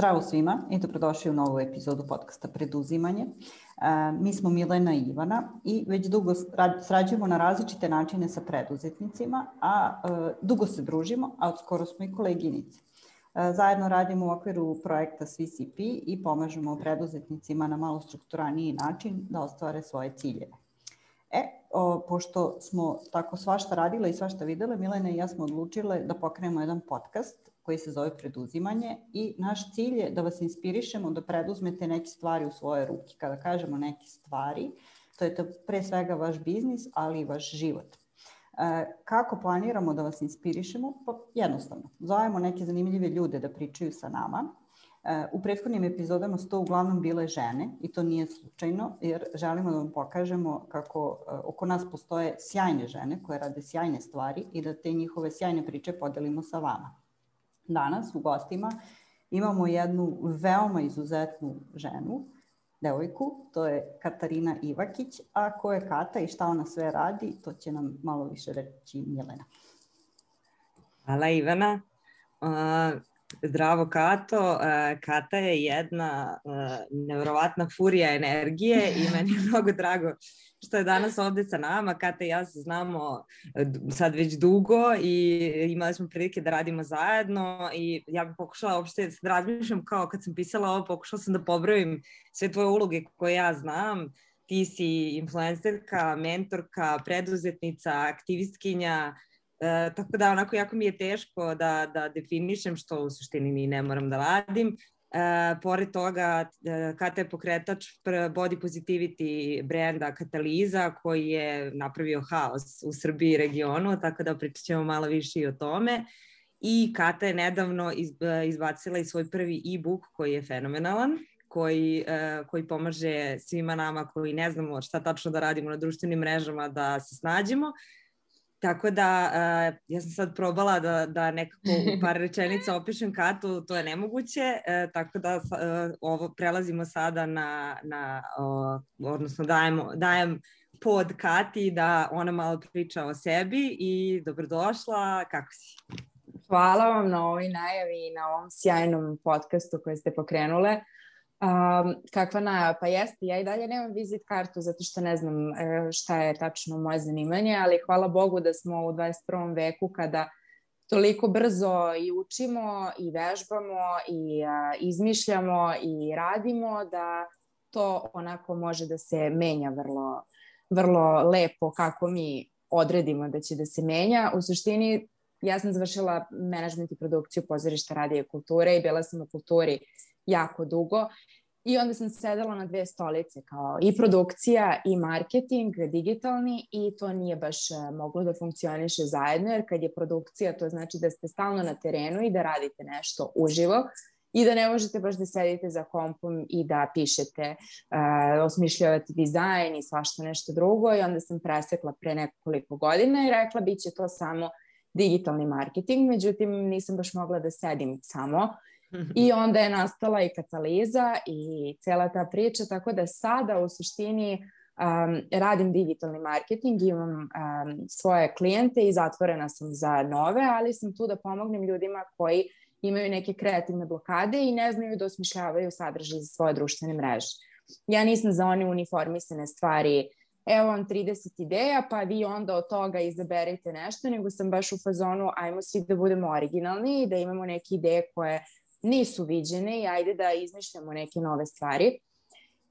Zdravo svima i dobrodošli u novu epizodu podcasta Preduzimanje. Mi smo Milena i Ivana i već dugo sarađujemo na različite načine sa preduzetnicima, a dugo se družimo, a skoro smo i koleginice. Zajedno radimo u okviru projekta SVCP i pomažemo preduzetnicima na malo strukturaniji način da ostvare svoje ciljeve. Pošto smo tako svašta radile i svašta videle, Milena i ja smo odlučile da pokrenemo jedan podcast koji se zove Preduzimanje i naš cilj je da vas inspirišemo da preduzmete neke stvari u svoje ruke. Kada kažemo neke stvari, to je pre svega vaš biznis, ali i vaš život. Kako planiramo da vas inspirišemo? Pa jednostavno. Zovemo neke zanimljive ljude da pričaju sa nama. U prethodnim epizodama su to uglavnom bile žene i to nije slučajno jer želimo da vam pokažemo kako oko nas postoje sjajne žene koje rade sjajne stvari i da te njihove sjajne priče podelimo sa vama. Danas u gostima imamo jednu veoma izuzetnu ženu, devojku, to je Katarina Ivakić, a ko je Kata i šta ona sve radi, to će nam malo više reći Milena. Hvala Ivana. Zdravo Kato. Kata je jedna nevjerovatna furija energije i meni je mnogo drago što je danas ovde sa nama. Kata i ja se znamo sad već dugo i imali smo prilike da radimo zajedno i ja bih pokušala uopšte da razmišljam kao kad sam pisala ovo, pokušala sam da pobrojim sve tvoje uloge koje ja znam. Ti si influencerka, mentorka, preduzetnica, aktivistkinja, tako da onako jako mi je teško da definišem što u suštini ni ne moram da radim. Pored toga, Kata je pokretač body positivity brenda Kataliza koji je napravio haos u Srbiji i regionu, tako da pričat ćemo malo više i o tome. I Kata je nedavno izbacila i svoj prvi e-book koji je fenomenalan, koji pomaže svima nama koji ne znamo šta tačno da radimo na društvenim mrežama da se snađemo. Tako da ja sam sad probala da nekako u par rečenica opišem Katu, to je nemoguće, tako da prelazimo sada odnosno dajem pod Kati da ona malo priča o sebi i dobrodošla, kako si? Hvala vam na ovoj najavi i na ovom sjajnom podcastu koji ste pokrenule. Kakva najava? Pa jeste, ja i dalje nemam vizit kartu zato što ne znam šta je tačno moje zanimanje, ali hvala Bogu da smo u 21. veku kada toliko brzo i učimo i vežbamo i izmišljamo i radimo da to onako može da se menja vrlo, vrlo lepo kako mi odredimo da će da se menja. U suštini ja sam završila menadžment i produkciju pozorišta, radija i kulture i bila sam u kulturi jako dugo i onda sam sedela na dve stolice kao i produkcija i marketing digitalni i to nije baš moglo da funkcioniše zajedno jer kad je produkcija to znači da ste stalno na terenu i da radite nešto uživo i da ne možete baš da sedite za kompom i da pišete, osmišljavate dizajn i svašta nešto drugo i onda sam presekla pre nekoliko godina i rekla bit će to samo digitalni marketing, međutim nisam baš mogla da sedim samo. I onda je nastala i Kataliza i cela ta priča, tako da sada u suštini radim digitalni marketing, imam svoje klijente i zatvorena sam za nove, ali sam tu da pomognem ljudima koji imaju neke kreativne blokade i ne znaju da osmišljavaju sadržaj za svoje društvene mreže. Ja nisam za one uniformisane stvari, evo vam 30 ideja, pa vi onda od toga izaberite nešto, nego sam baš u fazonu, ajmo svi da budemo originalni i da imamo neke ideje koje nisu viđene i ajde da izmišljamo neke nove stvari.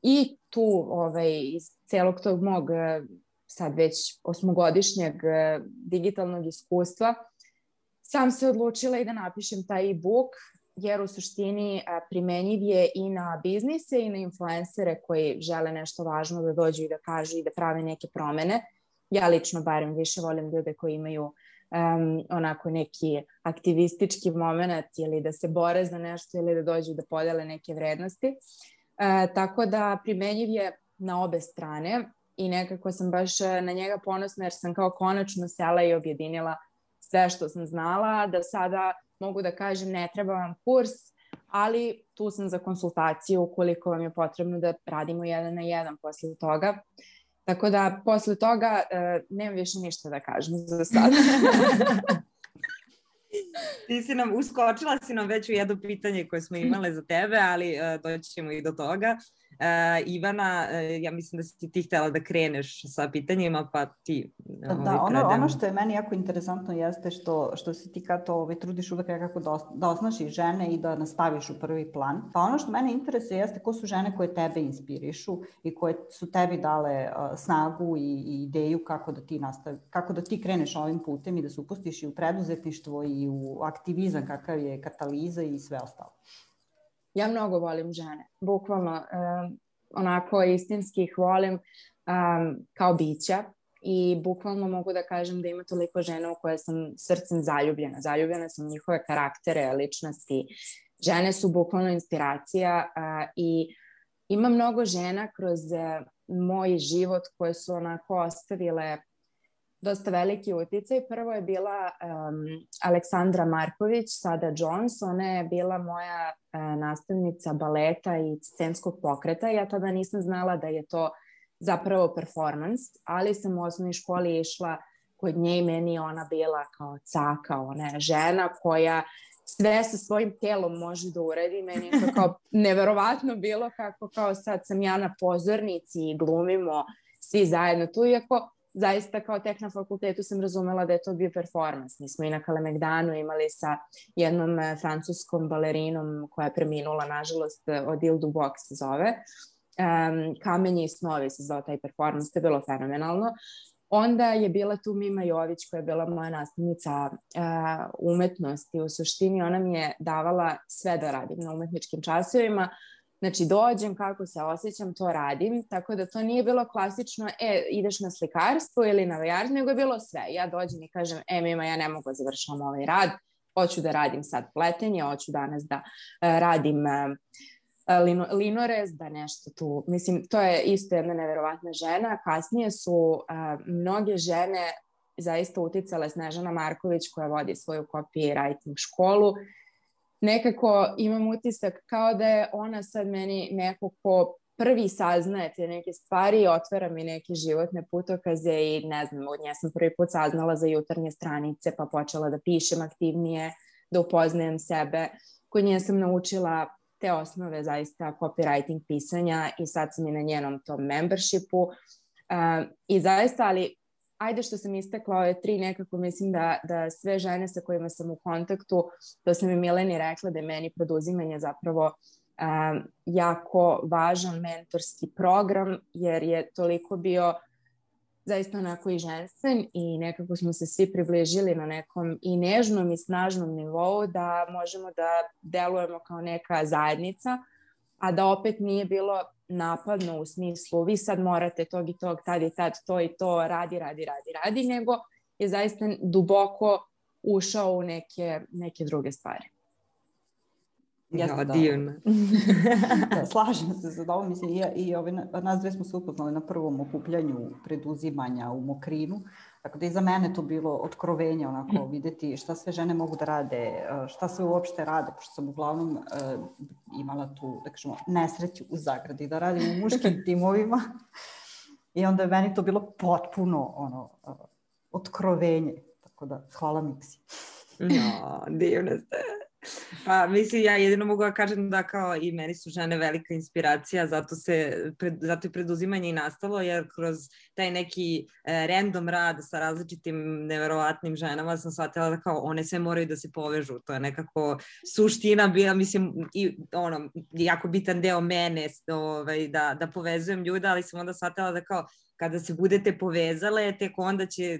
I tu iz celog tog mog sad već 8-godišnjeg digitalnog iskustva sam se odlučila i da napišem taj e-book jer u suštini primenjiv je i na biznise i na influencere koji žele nešto važno da dođu i da kažu i da prave neke promene. Ja lično barem više volim ljude koji imaju onako neki aktivistički moment ili da se bore za nešto ili da dođu da podele neke vrednosti. Tako da primenjiv je na obe strane i nekako sam baš na njega ponosna jer sam kao konačno sela i objedinila sve što sam znala, da sada mogu da kažem ne treba vam kurs, ali tu sam za konsultaciju ukoliko vam je potrebno da radimo 1 na 1 posle toga. Tako da posle toga nemam više ništa da kažem za sada. Uskočila si nam već u jedno pitanje koje smo imale za tebe, ali doći ćemo i do toga. Ivana, ja mislim da si ti htjela da kreneš sa pitanjima, pa ti Da, ono što je meni jako interesantno jeste što si ti Kato trudiš uvek nekako da osnažiš žene i da nastaviš u prvi plan. Pa ono što mene interesuje jeste ko su žene koje tebe inspirišu i koje su tebi dale snagu i ideju kako da ti kreneš ovim putem i da se upustiš i u preduzetništvo i u aktivizam kakav je Kataliza i sve ostalo. Ja mnogo volim žene, bukvalno onako istinski ih volim kao bića i bukvalno mogu da kažem da ima toliko žena u koje sam srcem zaljubljena. Zaljubljena sam u njihove karaktere, ličnosti. Žene su bukvalno inspiracija i ima mnogo žena kroz moj život koje su onako ostavile dosta veliki uticaj. Prvo je bila Aleksandra Marković, sada Jones. Ona je bila moja nastavnica baleta i scenskog pokreta. Ja tada nisam znala da je to zapravo performans, ali sam u osnovnoj školi išla kod nje i meni je ona bila kao caka, ona je žena koja sve sa svojim telom može da uredi. Meni je to kao neverovatno bilo kako kao sad sam ja na pozornici i glumimo svi zajedno tu, iako zaista kao tek na fakultetu sam razumela da je to bio performans. Mi smo i na Kalemegdanu imali sa jednom francuskom balerinom koja je preminula, nažalost, od Ile Duboc se zove. Kamenje i snovi se zvao taj performans, to je bilo fenomenalno. Onda je bila tu Mima Jović koja je bila moja nastavnica umetnosti. U suštini ona mi je davala sve da radim na umetničkim časovima. Znači dođem, kako se osjećam, to radim. Tako da to nije bilo klasično, ideš na slikarstvo ili na vajarstvo, nego je bilo sve. Ja dođem i kažem, Mima, ja ne mogu da završam ovaj rad, hoću da radim sad pletenje, hoću danas da radim linorez, da nešto tu. Mislim, to je isto jedna neverovatna žena. Kasnije su mnoge žene zaista uticale. Snežana Marković koja vodi svoju copywriting školu. Nekako imam utisak kao da je ona sad meni neko ko prvi saznaje te neke stvari i otvara mi neke životne putokaze i ne znam, od nje sam prvi put saznala za jutarnje stranice pa počela da pišem aktivnije, da upoznajem sebe. Kod nje sam naučila te osnove zaista copywriting pisanja i sad sam i na njenom tom membershipu i zaista, ali ajde što sam istakla ove 3, nekako mislim da sve žene sa kojima sam u kontaktu, to sam i Mileni rekla da je meni preduzimanje zapravo jako važan mentorski program, jer je toliko bio zaista onako i ženstven i nekako smo se svi približili na nekom i nežnom i snažnom nivou da možemo da delujemo kao neka zajednica, a da opet nije bilo napadno u smislu vi sad morate tog i tog, tad i tad, to i to, radi, nego je zaista duboko ušao u neke druge stvari. Ja, divno. Da, slažem se za ovo. Mislim, nas dve smo se upoznali na prvom okupljanju preduzimanja u Mokrinu. Tako da je za mene to bilo otkrovenje, onako videti šta sve žene mogu da rade, šta sve uopšte rade, pošto sam uglavnom imala tu, da kažemo, nesreću u zagradi da radim u muškim timovima. I onda je meni to bilo potpuno otkrovenje. Tako da, hvala Miksi. No, divno ste. Pa mislim, ja jedino mogu da kažem da kao i meni su žene velika inspiracija, zato je preduzimanje i nastalo, jer kroz taj neki random rad sa različitim neverovatnim ženama sam shvatila da kao one sve moraju da se povežu, to je nekako suština bila, mislim, i jako bitan deo mene da povezujem ljude, ali sam onda shvatila da kao kada se budete povezale, tek onda će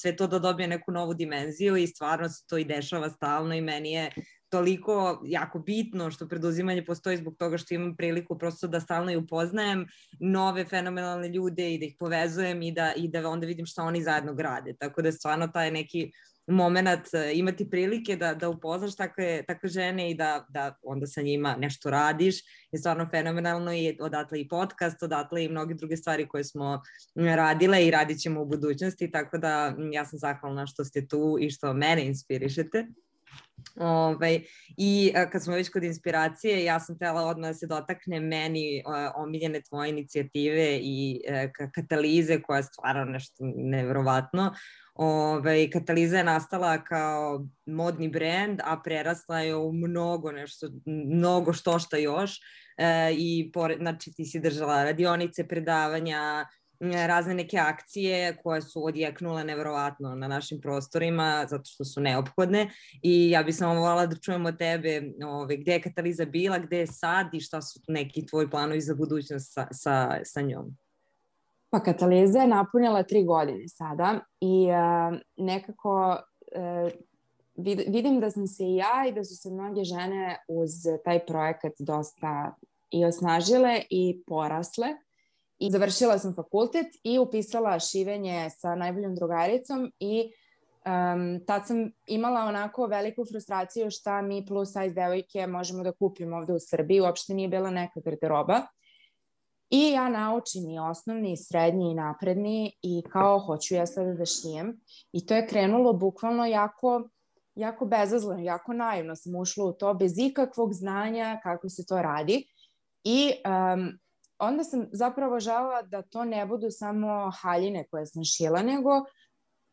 sve to da dobije neku novu dimenziju i stvarno se to i dešava stalno i meni je toliko jako bitno što preduzimanje postoji zbog toga što imam priliku prosto da stalno i upoznajem nove fenomenalne ljude i da ih povezujem i da onda vidim šta oni zajedno grade. Tako da stvarno taj neki moment imati prilike da upoznaš takve žene i da onda sa njima nešto radiš je stvarno fenomenalno i odatle i podcast, odatle i mnoge druge stvari koje smo radile i radit ćemo u budućnosti, tako da ja sam zahvalna što ste tu i što mene inspirišete. I kad smo već kod inspiracije, ja sam htjela odmah da se dotakne meni omiljene tvoje inicijative i Katalize koja je stvarno nešto nevjerovatno. Kataliza je nastala kao modni brend, a prerasla je u mnogo što još. I znači ti si držala radionice, predavanja, razne neke akcije koje su odjeknule neverovatno na našim prostorima zato što su neophodne i ja bih samo voljela da čujem od tebe gde je Kataliza bila, gde je sad i šta su neki tvoji planovi za budućnost sa njom. Pa Kataliza je napunila 3 godine sada i nekako vidim da sam se i ja i da su se mnoge žene uz taj projekat dosta i osnažile i porasle. I završila sam fakultet i upisala šivenje sa najboljom drugaricom i tad sam imala onako veliku frustraciju šta mi plus size devojke možemo da kupimo ovde u Srbiji. Uopšte nije bila neka garderoba. I ja naučim i osnovni, i srednji, i napredni i kao hoću ja sada da šijem. I to je krenulo bukvalno jako bezazleno, jako naivno sam ušla u to bez ikakvog znanja kako se to radi. I onda sam zapravo želela da to ne budu samo haljine koje sam šila, nego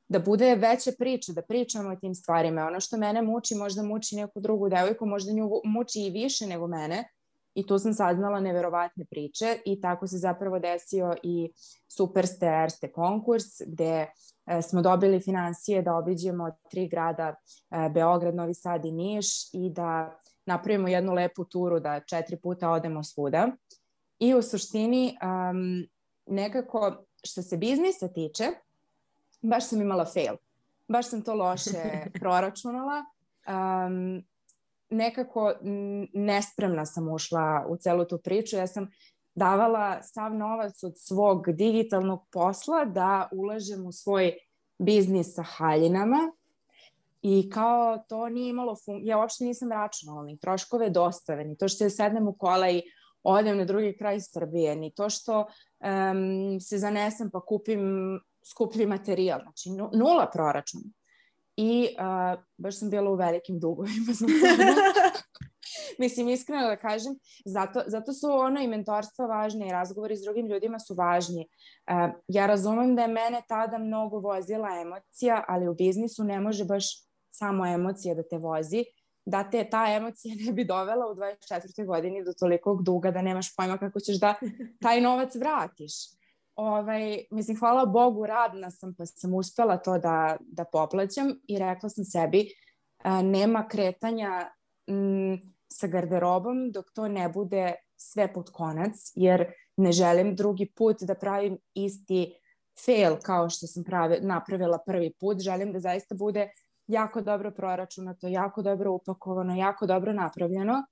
da bude veća priča, da pričamo o tim stvarima. Ono što mene muči, možda muči neku drugu devojku, možda nju muči i više nego mene. I tu sam saznala neverovatne priče i tako se zapravo desio i Superste Erste konkurs gde smo dobili finansije da obiđemo 3 grada, Beograd, Novi Sad i Niš i da napravimo jednu lepu turu da 4 puta odemo svuda. I u suštini nekako što se biznisa tiče, baš sam imala fail. Baš sam to loše proračunala. Nekako nespremna sam ušla u celu tu priču. Ja sam davala sav novac od svog digitalnog posla da ulažem u svoj biznis sa haljinama i kao to nije imalo ja uopšte nisam računala ni troškove dostave, ni to što ja sednem u kola i odem na drugi kraj Srbije, ni to što se zanesem pa kupim skuplji materijal, znači nula proračuna. I baš sam bila u velikim dugovima. Mislim, iskreno da kažem, zato su i mentorstva važne i razgovori s drugim ljudima su važni. Ja razumem da je mene tada mnogo vozila emocija, ali u biznisu ne može baš samo emocija da te vozi, da te ta emocija ne bi dovela u 24. godini do tolikog duga da nemaš pojma kako ćeš da taj novac vratiš. Mislim, hvala Bogu, radna sam pa sam uspela to da poplaćam i rekla sam sebi nema kretanja sa garderobom dok to ne bude sve pod konac, jer ne želim drugi put da pravim isti fail kao što sam napravila prvi put. Želim da zaista bude jako dobro proračunato, jako dobro upakovano, jako dobro napravljeno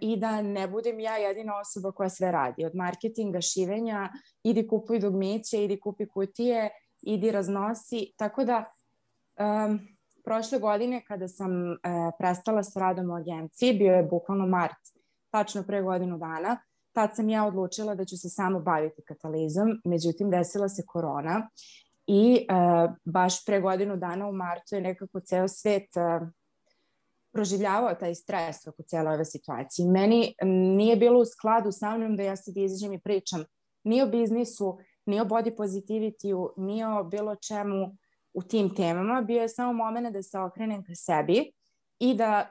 i da ne budem ja jedina osoba koja sve radi. Od marketinga, šivenja, idi kupuj dugmiće, idi kupi kutije, idi raznosi. Tako da prošle godine kada sam prestala s radom u agenciji, bio je bukvalno mart, tačno pre godinu dana, tad sam ja odlučila da ću se samo baviti Katalizom, međutim desila se korona i baš pre godinu dana u martu je nekako ceo svet proživljavao taj stres oko cijele ove situacije. Meni nije bilo u skladu sa mnom da ja sad izađem i pričam ni o biznisu, ni o body positivity-u, ni o bilo čemu u tim temama. Bio je samo moment da se okrenem ka sebi i da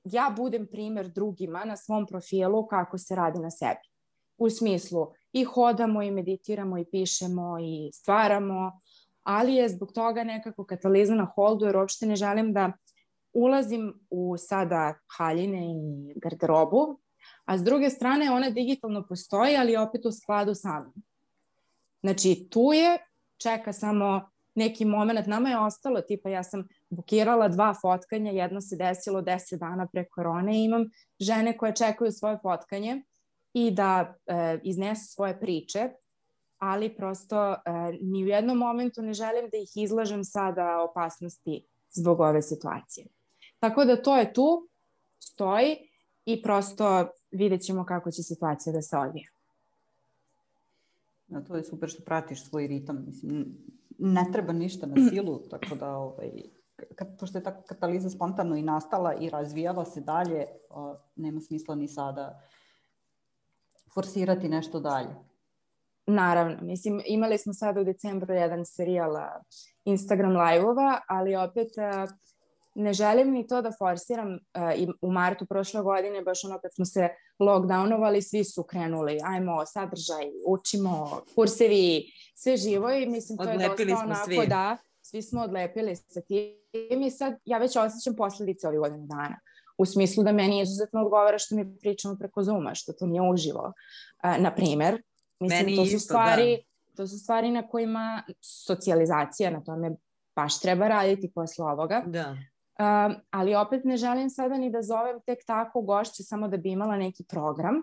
ja budem primer drugima na svom profilu kako se radi na sebi. U smislu i hodamo i meditiramo i pišemo i stvaramo, ali je zbog toga nekako Kataliza na holdu jer uopšte ne želim da ulazim u sada haljine i garderobu, a s druge strane ona digitalno postoji, ali opet u skladu sa mnom. Znači tu je, čeka samo neki moment, nama je ostalo, tipa ja sam bukirala 2 fotkanja, jedno se desilo 10 dana pre korone i imam žene koje čekaju svoje fotkanje i da iznesu svoje priče, ali prosto ni u jednom momentu ne želim da ih izlažem sada opasnosti zbog ove situacije. Tako da to je tu, stoji i prosto vidjet ćemo kako će situacija da se odvija. Da, to je super što pratiš svoj ritam. Mislim, ne treba ništa na silu, tako da pošto je tako Kataliza spontano i nastala i razvijala se dalje, nema smisla ni sada forsirati nešto dalje. Naravno, mislim, imali smo sada u decembru jedan serijal Instagram live-ova, ali opet ne želim ni to da forsiram. I u martu prošle godine, baš ono kad smo se lockdownovali, svi su krenuli, ajmo sadržaj, učimo, kursevi, sve živo i mislim to je dosta onako svi. Da, svi smo odlepili sa tim i sad ja već osjećam posledice ovih godina dana. U smislu da meni izuzetno odgovara što mi pričamo preko Zooma, što to nije uživo. Na primer, mislim, to su stvari na kojima socijalizacija, na tome baš treba raditi posle ovoga. Da. Ali opet ne želim sada ni da zovem tek tako gošće samo da bi imala neki program.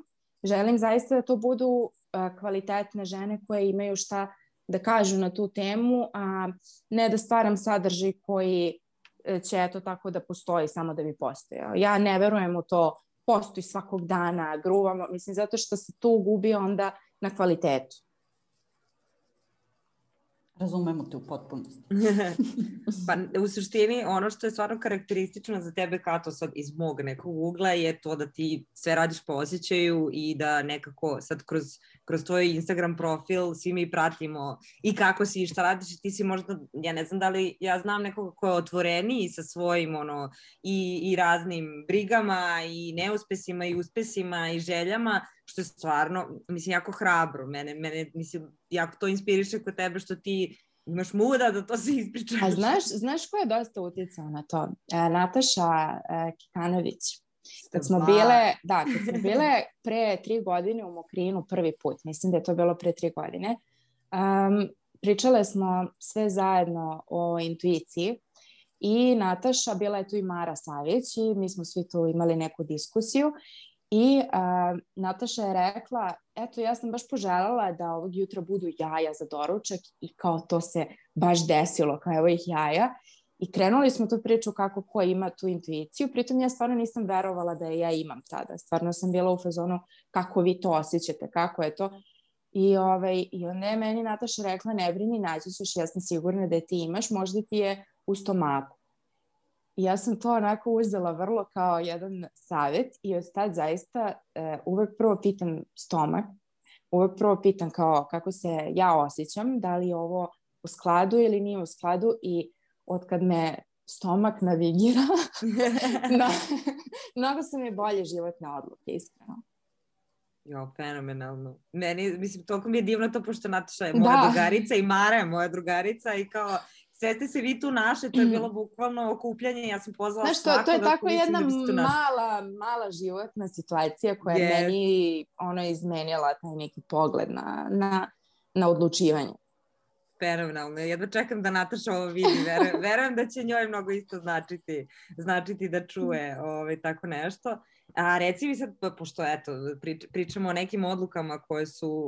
Želim zaista da to budu kvalitetne žene koje imaju šta da kažu na tu temu, a ne da stvaram sadržaj koji će eto tako da postoji samo da bi postojao. Ja ne verujem u to, postoji svakog dana, gruvamo, mislim, zato što se tu gubi onda na kvalitetu. Razumemo te u potpunosti. Pa u suštini ono što je stvarno karakteristično za tebe, Kato, sad iz mog nekog ugla je to da ti sve radiš po osjećaju i da nekako sad kroz tvoj Instagram profil svi mi pratimo i kako si i šta radiš i ti si možda, ja ne znam da li ja znam nekoga ko je otvoreniji sa svojim i raznim brigama i neuspesima i uspesima i željama, što je stvarno, mislim, jako hrabro. Mene mislim, jako to inspiriše kod tebe što ti imaš muda da to se ispričaš. A znaš ko je dosta uticao na to? Nataša Kikanović. Kad smo bile pre 3 godine u Mokrinu prvi put, mislim da je to bilo pre 3 godine, pričale smo sve zajedno o intuiciji i Nataša, bila je tu i Mara Savić i mi smo svi tu imali neku diskusiju. I Nataša je rekla, eto ja sam baš poželjela da ovog jutra budu jaja za doručak i kao to se baš desilo, kao evo ih jaja. I krenuli smo tu priču kako ko ima tu intuiciju, pritom ja stvarno nisam verovala da je ja imam tada. Stvarno sam bila u fazonu kako vi to osjećate, kako je to. I onda je meni Nataša rekla, ne brini, naći ćeš, ja sam sigurna da je ti imaš, možda ti je u stomaku. I ja sam to onako uzela vrlo kao jedan savjet i od tad zaista uvek prvo pitam stomak, uvek prvo pitam kao kako se ja osjećam, da li je ovo u skladu ili nije u skladu i od kad me stomak navigira, mnogo su mi bolje životne odluke, iskreno. Jo, fenomenalno. Meni, mislim, toliko mi je divno to, pošto Nataša je moja drugarica i Mara je moja drugarica i kao sve ste se vi tu našli, to je bilo bukvalno okupljanje, ja sam pozvala svako. To je tako jedna mala životna situacija koja je meni izmenila taj neki pogled na odlučivanje. Fenomenalno. Jedva čekam da Nataša ovo vidi. Verujem da će njoj mnogo isto značiti da čuje tako nešto. A reci mi sad, pošto eto, pričamo o nekim odlukama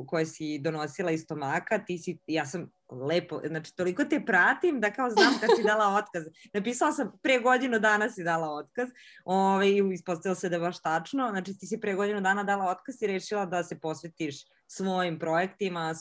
koje si donosila iz stomaka, ja sam lepo, znači toliko te pratim da kao znam kad si dala otkaz. Napisala sam pre godinu dana si dala otkaz i ispostavilo se da je baš tačno. Znači ti si pre godinu dana dala otkaz i rešila da se posvetiš svojim projektima,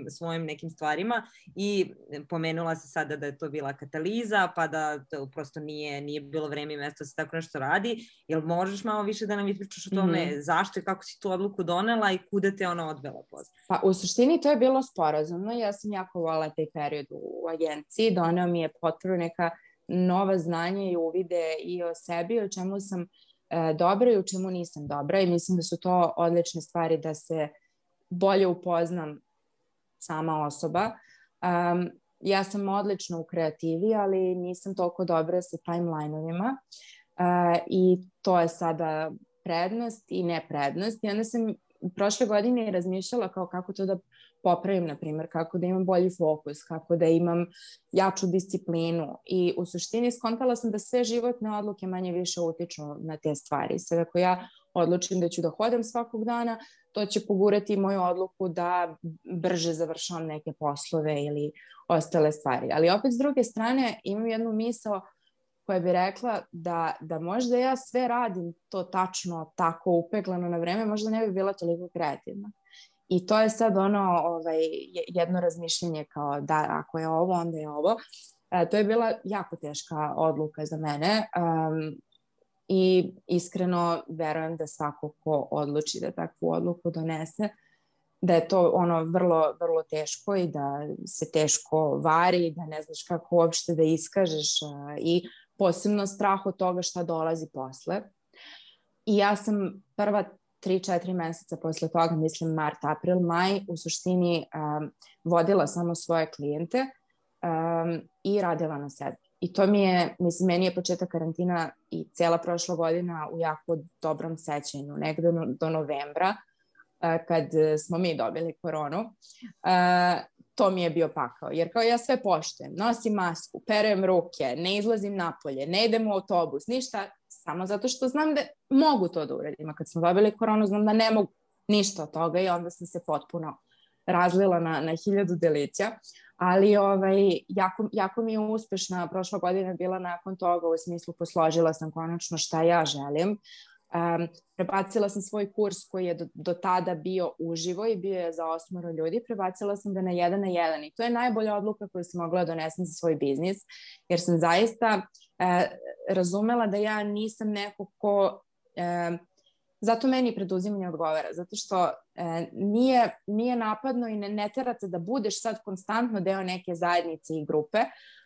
svojim nekim stvarima i pomenula se sada da je to bila kataliza, pa da to prosto nije bilo vreme i mesto da se tako nešto radi. Jel možeš malo više da nam ispričaš o tome zašto i kako si tu odluku donela i kuda te ona odvela posle? Pa u suštini to je bilo sporazumno. Ja sam jako volila taj period u agenciji. Doneo mi je potpuno neka nova znanja i uvide i o sebi, o čemu sam dobra i o čemu nisam dobra i mislim da su to odlične stvari da se bolje upoznam sama osoba. Ja sam odlična u kreativi, ali nisam toliko dobra sa timeline-ovima i to je sada prednost i neprednost. I onda sam prošle godine razmišljala kao kako to da popravim, na primjer, kako da imam bolji fokus, kako da imam jaču disciplinu i u suštini skontala sam da sve životne odluke manje više utiču na te stvari. Sad ako ja odlučim da ću da hodam svakog dana, to će pogurati moju odluku da brže završavam neke poslove ili ostale stvari. Ali opet s druge strane imam jednu misao koja bi rekla da možda ja sve radim to tačno, tako upeglano na vreme, možda ne bi bila toliko kreativna. I to je sad jedno razmišljenje kao da ako je ovo, onda je ovo. To je bila jako teška odluka za mene i iskreno verujem da svako ko odluči da takvu odluku donese, da je to ono vrlo, vrlo teško i da se teško vari, da ne znaš kako uopšte da iskažeš i posebno strah od toga šta dolazi posle. I ja sam prva 3-4 meseca posle toga, mislim mart, april, maj, u suštini vodila samo svoje klijente i radila na sebi. I to mi je, mislim, meni je početak karantina i cijela prošla godina u jako dobrom sećanju, negde do novembra, kad smo mi dobili koronu. To mi je bio pakao, jer kao ja sve poštujem, nosim masku, perem ruke, ne izlazim napolje, ne idem u autobus, ništa, samo zato što znam da mogu to da uradim. A kad smo dobili koronu, znam da ne mogu ništa od toga i onda sam se potpuno razlila na 1000 delića. Ali jako mi je uspešna prošla godina bila nakon toga, u smislu posložila sam konačno šta ja želim. Prebacila sam svoj kurs koji je do tada bio uživo i bio je za 8 ljudi, prebacila sam ga na 1 na 1 i to je najbolja odluka koju sam mogla da donesem za svoj biznis, jer sam zaista razumela da ja nisam neko ko zato meni preduzimanje odgovara, zato što nije napadno i ne terate da budeš sad konstantno deo neke zajednice i grupe,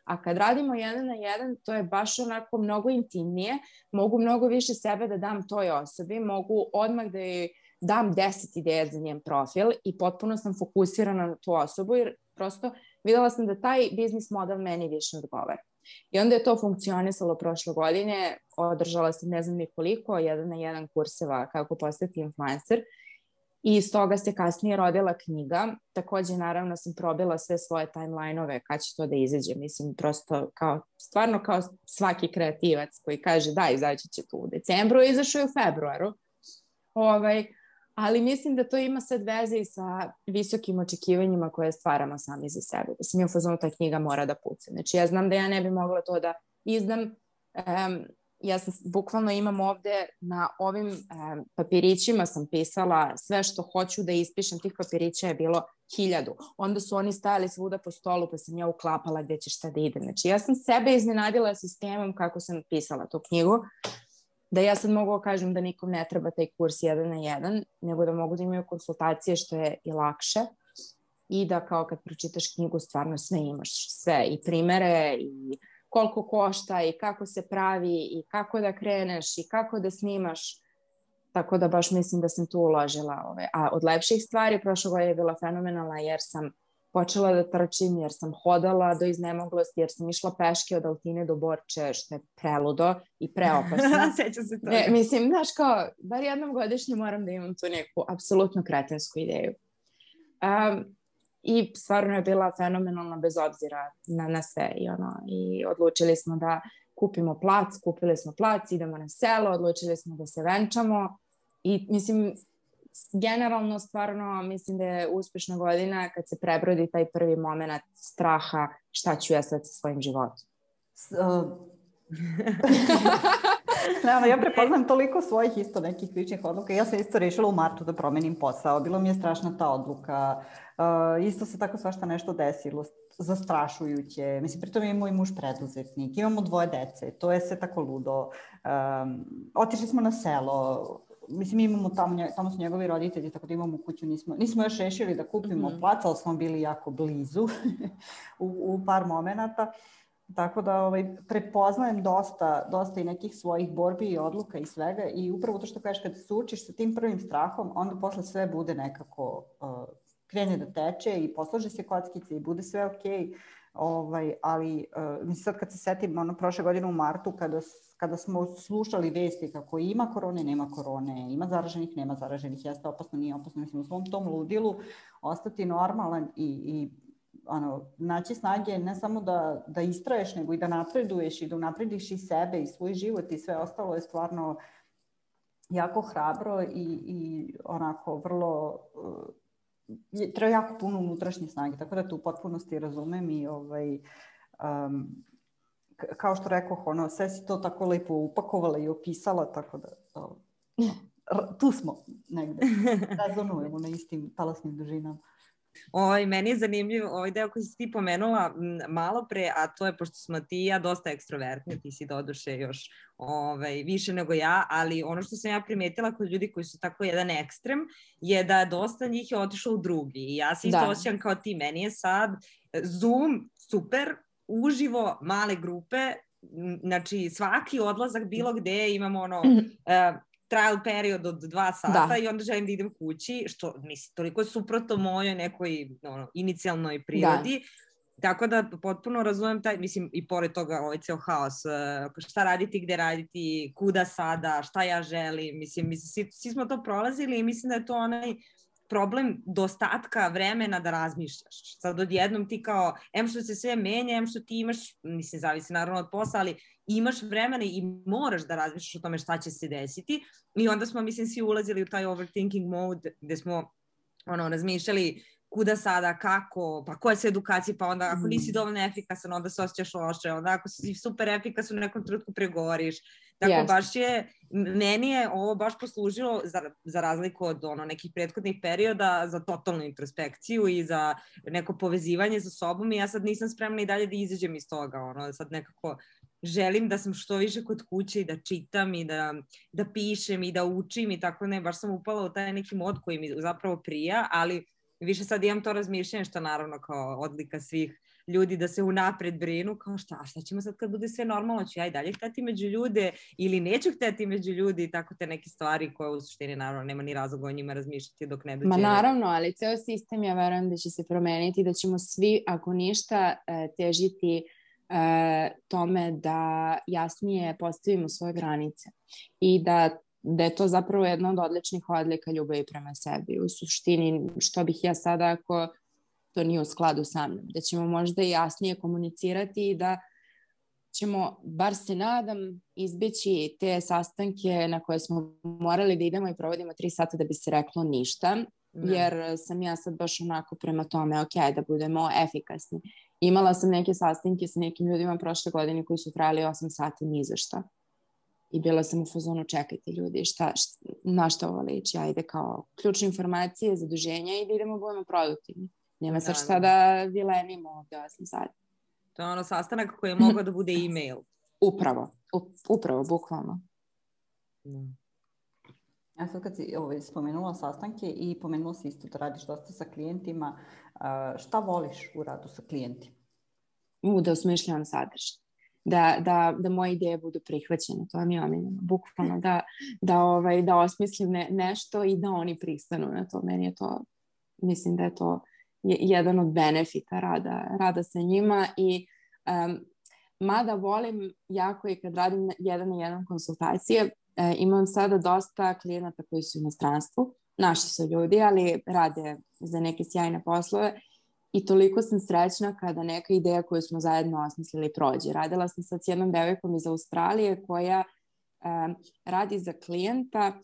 a kad radimo 1 na 1, to je baš onako mnogo intimnije, mogu mnogo više sebe da dam toj osobi, mogu odmah da joj dam 10 ideja za njen profil i potpuno sam fokusirana na tu osobu, jer prosto videla sam da taj biznis model meni više odgovara. I onda je to funkcionisalo prošle godine, održala sam ne znam ni koliko, 1 na 1 kurseva kako postati influencer i iz toga se kasnije rodila knjiga. Takođe, naravno, sam probila sve svoje timeline-ove kad će to da izađe. Mislim, prosto stvarno kao svaki kreativac koji kaže da, izaći će tu u decembru, izašao je u februaru. Ali mislim da to ima sad veze i sa visokim očekivanjima koje stvaramo sami za sebe. Da sam je u fazonu, ta knjiga mora da puca. Znači, ja znam da ja ne bi mogla to da izdam. Ja sam, bukvalno imam ovde na ovim papirićima sam pisala sve što hoću da ispišem. Tih papirića je bilo 1000. Onda su oni stajali svuda po stolu pa sam ja uklapala gde će šta da ide. Znači, ja sam sebe iznenadila sistemom kako sam pisala tu knjigu. Da ja sad mogu kažem da nikom ne treba taj kurs 1 na 1, nego da mogu da imaju konsultacije što je i lakše i da kao kad pročitaš knjigu stvarno sve imaš, sve i primere i koliko košta i kako se pravi i kako da kreneš i kako da snimaš, tako da baš mislim da sam tu uložila. A od lepših stvari prošle godine je bila fenomenalna jer sam počela da trčim, jer sam hodala do iznemoglosti, jer sam išla peške od Altine do Borče, što je preludo i preopasno. Sjećam se toga. Mislim, znaš kao, bar jednom godišnje moram da imam tu neku apsolutno kretinsku ideju. I stvarno je bila fenomenalna bez obzira na sve. I odlučili smo da kupimo plac, kupili smo plac, idemo na selo, odlučili smo da se venčamo i mislim, generalno stvarno mislim da je uspešna godina kad se prebrodi taj prvi moment straha šta ću ja sad sa svojim životom. Ja prepoznam toliko svojih isto nekih ličnih odluka. Ja sam isto rešila u martu da promenim posao. Bilo mi je strašna ta odluka. Isto se tako svašta nešto desilo. Zastrašujuće. Mislim, pritom je moj muž preduzetnik. Imamo 2 dece. To je sve tako ludo. Otišli smo na selo. Mislim, imamo tamo su njegovi roditelji, tako da imamo kuću. Nismo još rešili da kupimo plac, ali smo bili jako blizu u par momenata. Tako da prepoznajem dosta i nekih svojih borbi i odluka i svega i upravo to što kažeš, kad se suočiš sa tim prvim strahom, onda posle sve bude nekako, krene da teče i poslože se kockice i bude sve okej. Ali sad kad se setim prošle godine u martu kada smo slušali vesti kako ima korone, nema korone, ima zaraženih, nema zaraženih, jeste opasno, nije opasno, mislim u svom tom ludilu ostati normalan i naći snage ne samo da istraješ, nego i da napreduješ i da unaprediš i sebe i svoj život i sve ostalo je stvarno jako hrabro i onako vrlo treba jako puno unutrašnje snage, tako da tu u potpunosti razumem i kao što rekoh, sve si to tako lepo upakovala i opisala, tako da tu smo negde, rezonujemo na istim talasnim dužinama. Meni je zanimljiv ovaj deo koji si ti pomenula malo pre, a to je pošto smo ti i ja dosta ekstrovertni, ti si doduše još više nego ja, ali ono što sam ja primetila kod ljudi koji su tako jedan ekstrem je da dosta njih je otišlo u drugi i ja se isto osjećam kao ti, meni je sad Zoom super, uživo, male grupe, znači svaki odlazak bilo gde imamo trial period od 2 sata i onda želim da idem kući, što mislim, toliko je suprotno mojoj nekoj inicijalnoj prirodi. Tako da potpuno razumem taj, mislim, i pored toga ovaj ceo haos, šta raditi, gde raditi, kuda sada, šta ja želim, mislim, svi smo to prolazili i mislim da je to onaj problem dostatka vremena da razmišljaš. Sad odjednom ti kao, što se sve menja, što ti imaš, mislim, zavisi naravno od posla, ali imaš vremena i moraš da razmišljaš o tome šta će se desiti i onda smo, mislim, svi ulazili u taj overthinking mode gde smo razmišljali kuda sada, kako, pa koje su edukacije, pa onda ako nisi dovoljno efikasan, onda se osjećaš loše, onda ako si super efikasan u nekom trenutku pregoriš. Tako baš meni je ovo baš poslužilo za razliku od nekih prethodnih perioda za totalnu introspekciju i za neko povezivanje sa sobom i ja sad nisam spremna i dalje da izađem iz toga, sad nekako želim da sam što više kod kuće i da čitam i da pišem i da učim i tako ne, baš sam upala u taj neki mod koji mi zapravo prija, ali više sad imam to razmišljanje što naravno kao odlika svih ljudi da se unapred brinu, kao šta ćemo sad kad bude sve normalno, ću ja i dalje hteti među ljude ili neću hteti među ljudi i tako te neke stvari koje u suštini naravno nema ni razloga o njima razmišljati dok ne dođe. Ma naravno, ali ceo sistem ja verujem da će se promeniti, da ćemo svi, ako ništa, težiti tome da jasnije postavimo svoje granice i da je to zapravo jedna od odličnih odlika ljubavi prema sebi. U suštini, što bih ja sada ako to nije u skladu sa mnom, da ćemo možda jasnije komunicirati i da ćemo, bar se nadam, izbeći te sastanke na koje smo morali da idemo i provodimo 3 sata da bi se reklo ništa, jer sam ja sad baš onako prema tome, da budemo efikasni. Imala sam neke sastanke sa nekim ljudima prošle godine koji su trajali 8 sata ni za šta. I bila sam u fazonu, čekajte ljudi, na šta ovo liči? Ajde kao ključne informacije, zaduženja i da idemo budemo produktivni. Nema sad šta da vilenimo ovde 8 sati. To je sastanak koji je mogao da bude e-mail. Upravo, bukvalno. Ja sad kad si spomenula sastanke i pomenula si isto da radiš dosta sa klijentima, šta voliš u radu sa klijentima? Da osmišljavam sadržaj. Da moje ideje budu prihvaćene, to mi je omiljeno, bukvalno da osmislim nešto i da oni pristanu na to. Meni je to, mislim da je to jedan od benefita rada sa njima i mada volim jako i kad radim 1-na-1 konsultacije, imam sada dosta klijenata koji su u inostranstvu, naši su ljudi, ali rade za neke sjajne poslove. I toliko sam srećna kada neka ideja koju smo zajedno osmislili prođe. Radila sam sad s jednom devojkom iz Australije koja radi za klijenta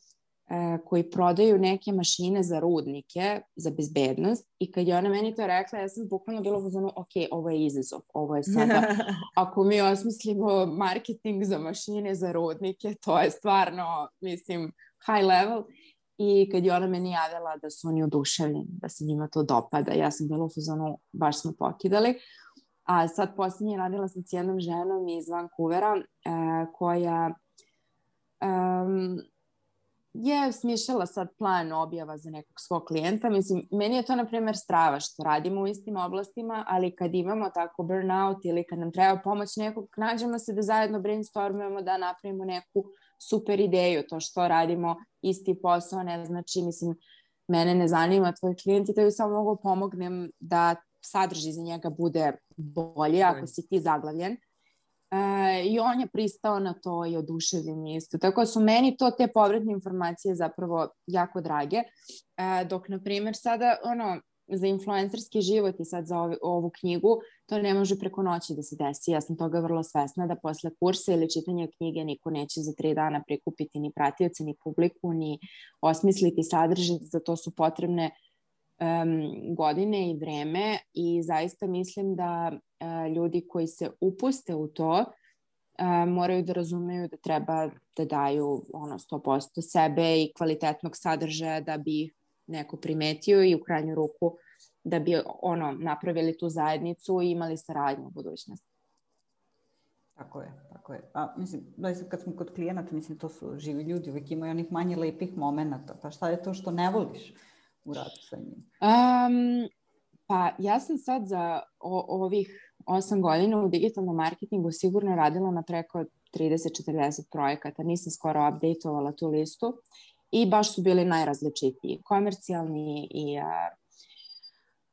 koji prodaju neke mašine za rudnike, za bezbednost. I kad je ona meni to rekla, ja sam bukvalno bila u fazonu, ovo je izazov. Ovo je sada, ako mi osmislimo marketing za mašine za rudnike, to je stvarno, mislim, high level. I kad je ona meni javila da su oni oduševljeni, da se njima to dopada, ja sam bila u fazonu, baš smo pokidali. A sad posljednje radila sam s jednom ženom iz Vancouvera koja je smišljala sad plan objava za nekog svog klijenta. Mislim, meni je to, na primjer, strava što radimo u istim oblastima, ali kad imamo tako burnout ili kad nam treba pomoć nekog, nađemo se da zajedno brainstormujemo, da napravimo neku super ideju. To što radimo isti posao ne znači, mislim, mene ne zanima tvoj klijent i da ju samo mogu pomognem da sadržaj za njega bude bolje ako si ti zaglavljen. I on je pristao na to i oduševljen isto. Tako su meni te povratne informacije zapravo jako drage. Dok, na primjer, sada za influencerski život i sad za ovu knjigu, to ne može preko noći da se desi. Ja sam toga vrlo svesna da posle kursa ili čitanja knjige niko neće za 3 dana prikupiti ni pratioce, ni publiku, ni osmisliti sadržaj. Za to su potrebne godine i vreme i zaista mislim da ljudi koji se upuste u to moraju da razumeju da treba da daju 100% sebe i kvalitetnog sadržaja da bi ih neko primetio i u krajnju ruku da bi napravili tu zajednicu i imali saradnju u budućnosti. Tako je. A mislim, kad smo kod klijenata, mislim, to su živi ljudi, uvijek imaju onih manje lepih momenata. Pa šta je to što ne voliš u radu sa njim? Pa ja sam sad za ovih 8 godina u digitalnom marketingu sigurno radila na preko 30-40 projekata. Nisam skoro updateovala tu listu i baš su bili najrazličitiji. Komercijalni i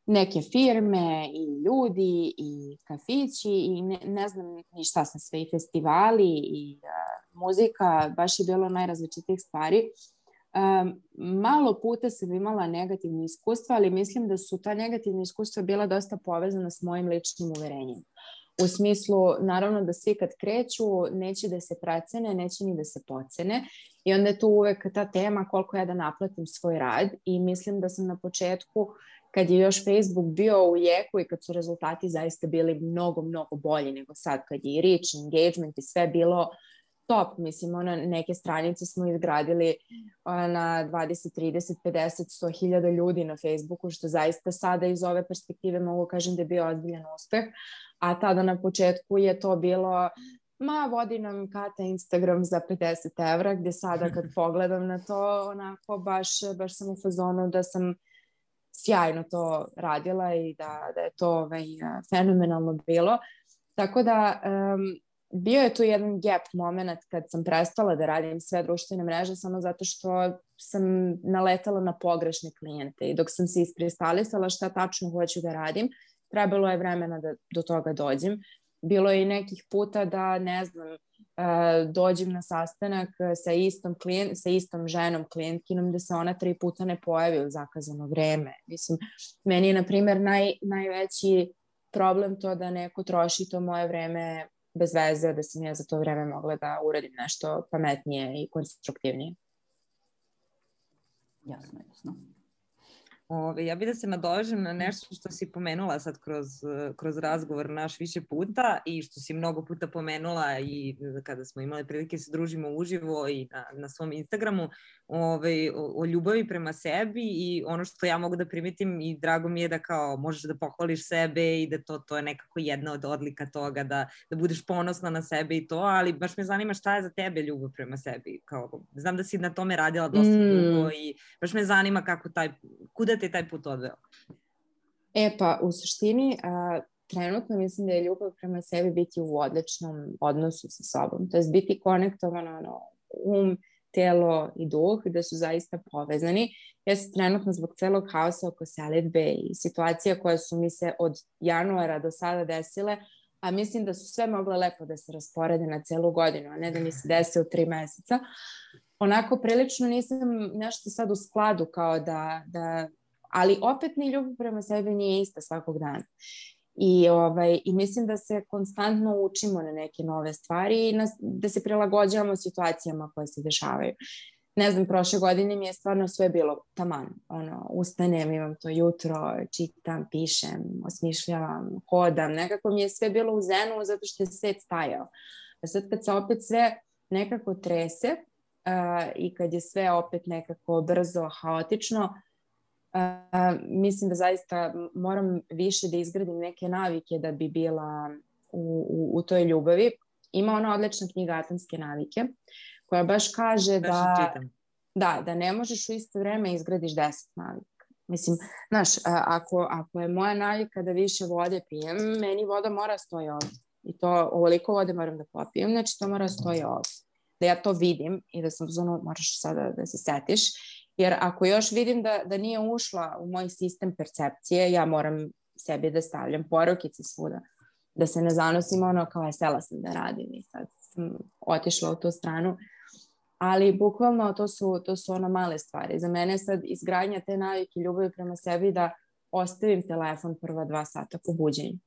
neke firme i ljudi i kafići i ne znam ni šta sam sve, i festivali i muzika, baš je bilo najrazličitijih stvari. Malo puta sam imala negativne iskustva, ali mislim da su ta negativna iskustva bila dosta povezana s mojim ličnim uverenjem. U smislu, naravno da svi kad kreću neće da se precene, neće ni da se pocene i onda je tu uvek ta tema koliko ja da naplatim svoj rad i mislim da sam na početku, kad je još Facebook bio u jeku i kad su rezultati zaista bili mnogo, mnogo bolji nego sad, kad je i reach, engagement i sve bilo top, mislim, neke stranice smo izgradili na 20, 30, 50, 100 hiljada ljudi na Facebooku, što zaista sada iz ove perspektive mogu kažem da je bio ozbiljan uspeh, a tada na početku je to bilo vodi nam Kata Instagram za 50 evra, gde sada kad pogledam na to, onako baš sam u fazonu da sam sjajno to radila i da je to fenomenalno bilo. Tako da bio je tu jedan gap moment kad sam prestala da radim sve društvene mreže samo zato što sam naletala na pogrešne klijente i dok sam se iskristalisala šta tačno hoću da radim, trebalo je vremena da do toga dođem. Bilo je i nekih puta da, ne znam, dođem na sastanak sa istom ženom klijentkinom da se ona 3 puta ne pojavi u zakazano vreme. Mislim, meni je, na primjer, najveći problem to da neko troši to moje vreme bez veze, da sam ja za to vreme mogla da uradim nešto pametnije i konstruktivnije. Jasno. Ja bih da se nadovežem na nešto što si pomenula sad kroz razgovor naš više puta i što si mnogo puta pomenula i kada smo imali prilike se družimo uživo i na svom Instagramu o ljubavi prema sebi i ono što ja mogu da primetim i drago mi je da kao možeš da pohvališ sebe i da to je nekako jedna od odlika toga da budeš ponosna na sebe i to, ali baš me zanima šta je za tebe ljubav prema sebi. Znam da si na tome radila dosta dugo i baš me zanima kuda te taj put odveo? Pa u suštini trenutno mislim da je ljubav prema sebi biti u odličnom odnosu sa sobom, to je biti konektovano telo i duh, da su zaista povezani. Ja sam trenutno zbog celog haosa oko selidbe i situacija koje su mi se od januara do sada desile, a mislim da su sve mogle lepo da se rasporede na celu godinu, a ne da mi se desi u 3 meseca. Onako prilično nisam nešto sad u skladu kao da ali opet ni ljubav prema sebi nije ista svakog dana. I mislim da se konstantno učimo na neke nove stvari i da se prilagođavamo situacijama koje se dešavaju. Ne znam, prošle godine mi je stvarno sve bilo taman. Ustanem, imam to jutro, čitam, pišem, osmišljavam, hodam. Nekako mi je sve bilo u zenu zato što je svet stajao. A sad kad se opet sve nekako trese i kad je sve opet nekako brzo, haotično, mislim da zaista moram više da izgradim neke navike da bi bila u toj ljubavi. Ima ona odlična knjiga Atomske navike koja baš kaže da ne možeš u isto vreme izgradiš 10 navika. Mislim, znaš, ako je moja navika da više vode pijem, meni voda mora stoji ovdje. I to ovoliko vode moram da popijem, znači to mora stoji ovdje. Da ja to vidim i da sam moraš sada da se setiš. Jer ako još vidim da nije ušla u moj sistem percepcije, ja moram sebi da stavljam porukice svuda. Da se ne zanosim kao sela sam da radim i sad sam otišla u tu stranu. Ali bukvalno to su male stvari. Za mene sad izgradnja te navike ljubavi prema sebi da ostavim telefon prva 2 sata po buđenju.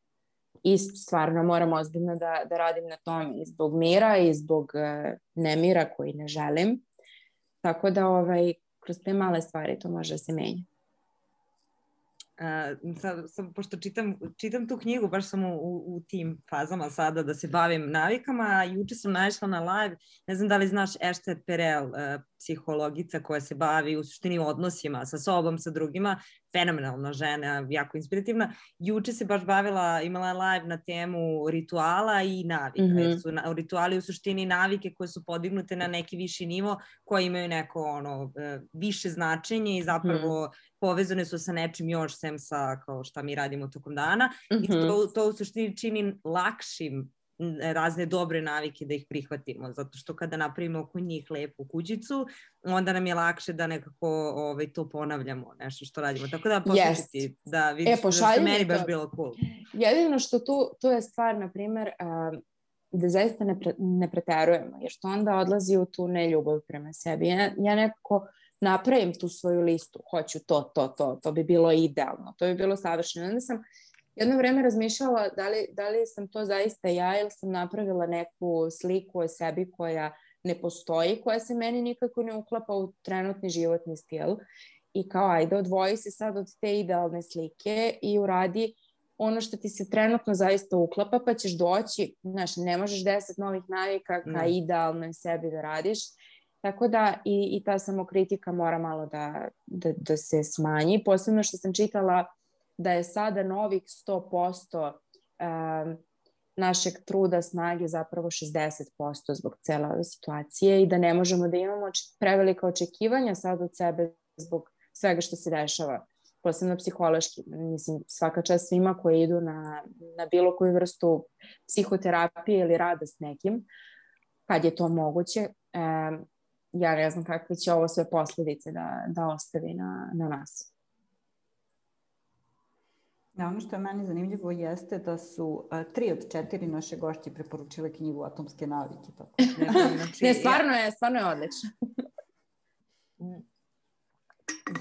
I stvarno moram ozbiljno da radim na tome i zbog mira i zbog nemira koji ne želim. Tako da kroz te male stvari to može da se menja. Pošto čitam tu knjigu, baš sam u tim fazama sada da se bavim navikama. Juče sam naišla na live, ne znam da li znaš Esther Perel, psihologica koja se bavi u suštini odnosima sa sobom, sa drugima, fenomenalna žena, jako inspirativna. Juče se baš bavila, imala live na temu rituala i navika. Jer su rituali u suštini navike koje su podignute na neki viši nivo, koje imaju neko više značenje i zapravo povezane su sa nečim još, sem sa kao šta mi radimo tokom dana. I to u suštini čini lakšim razne dobre navike da ih prihvatimo, zato što kada napravimo oko njih lepu kućicu, onda nam je lakše da nekako to ponavljamo, nešto što radimo. Tako da poslušajte da vidiš da što meni baš bilo cool. Jedino što tu je stvar, na primjer, da zaista ne preterujemo, jer što onda odlazi u tu neljubav prema sebi. Ja nekako napravim tu svoju listu, hoću to bi bilo idealno, to bi bilo savršeno. Onda sam jedno vreme razmišljala da li sam to zaista ja ili sam napravila neku sliku o sebi koja ne postoji, koja se meni nikako ne uklapa u trenutni životni stil. I kao, ajde, odvoji se sad od te idealne slike i uradi ono što ti se trenutno zaista uklapa, pa ćeš doći, znaš, ne možeš 10 novih navika ka idealnoj sebi da radiš. Tako da i ta samokritika mora malo da se smanji. Posebno što sam čitala da je sada novih 100% našeg truda, snage zapravo 60% zbog cele ove situacije i da ne možemo da imamo prevelika očekivanja sad od sebe zbog svega što se dešava, posebno psihološki. Mislim, svaka čast svima koji idu na bilo koju vrstu psihoterapije ili rada s nekim, kad je to moguće. Ja ne znam kakve će ovo sve posljedice da ostavi na nas. Da, ono što je meni zanimljivo jeste da su 3 od 4 naše gošće preporučile knjigu Atomske navike. Tako. Ne, stvarno je odlično.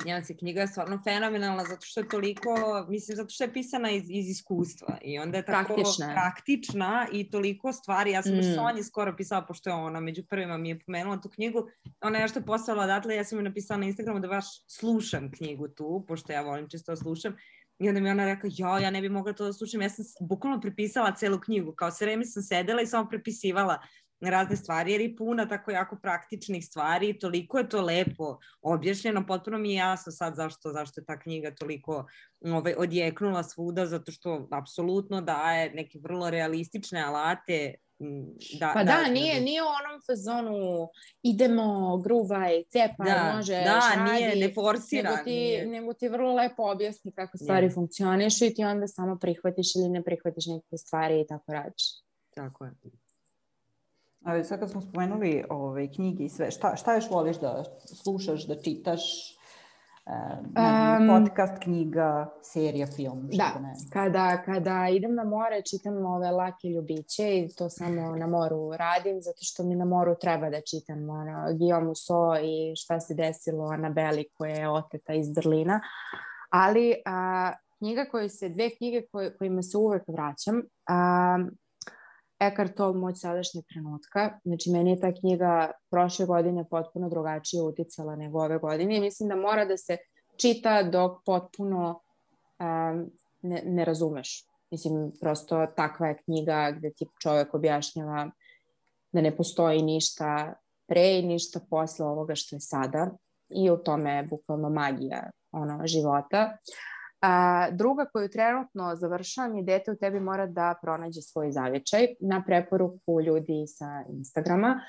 Njena se knjiga je stvarno fenomenalna zato što je toliko, mislim, zato što je pisana iz iskustva i onda je tako praktična i toliko stvari. Ja sam baš Sonji skoro pisala, pošto je ona među prvima mi je pomenula tu knjigu, ona je nešto poslala odatle, ja sam joj napisala na Instagramu da baš slušam knjigu tu, pošto ja volim često da slušam. I onda mi ona rekla, ja ne bi mogla to da slušam, ja sam bukvalno prepisala celu knjigu, kao sve vreme sam sedela i samo prepisivala razne stvari, jer je puna tako jako praktičnih stvari i toliko je to lepo objašnjeno, potpuno mi je jasno sad zašto je ta knjiga toliko odjeknula svuda, zato što apsolutno daje neke vrlo realistične alate. Nije u onom fazonu idemo, gruvaj, cepaj, možeš, radi. Ne forsira. Nego ti vrlo lepo objasni kako stvari funkcionišu i ti onda samo prihvatiš ili ne prihvatiš neke stvari i tako radiš. Tako je. A sad kad smo spomenuli knjige i sve, šta još voliš da slušaš, da čitaš? Podcast, knjiga, serija, film? Kada idem na more čitam ove lake ljubiće i to samo na moru radim, zato što mi na moru treba da čitam Guillaume Musso i šta se desilo Anabeli koja je oteta iz Berlina, ali dve knjige kojima se uvek vraćam, Eckhart Tolle, Moć sadašnjeg trenutka. Znači, meni je ta knjiga prošle godine potpuno drugačije uticala nego ove godine i mislim da mora da se čita dok potpuno ne razumeš. Mislim, prosto takva je knjiga gde ti čovek objašnjava da ne postoji ništa pre i ništa posle ovoga što je sada i u tome je bukvalno magija života. Druga koju trenutno završavam je Dete u tebi mora da pronađe svoj zavičaj na preporuku ljudi sa Instagrama.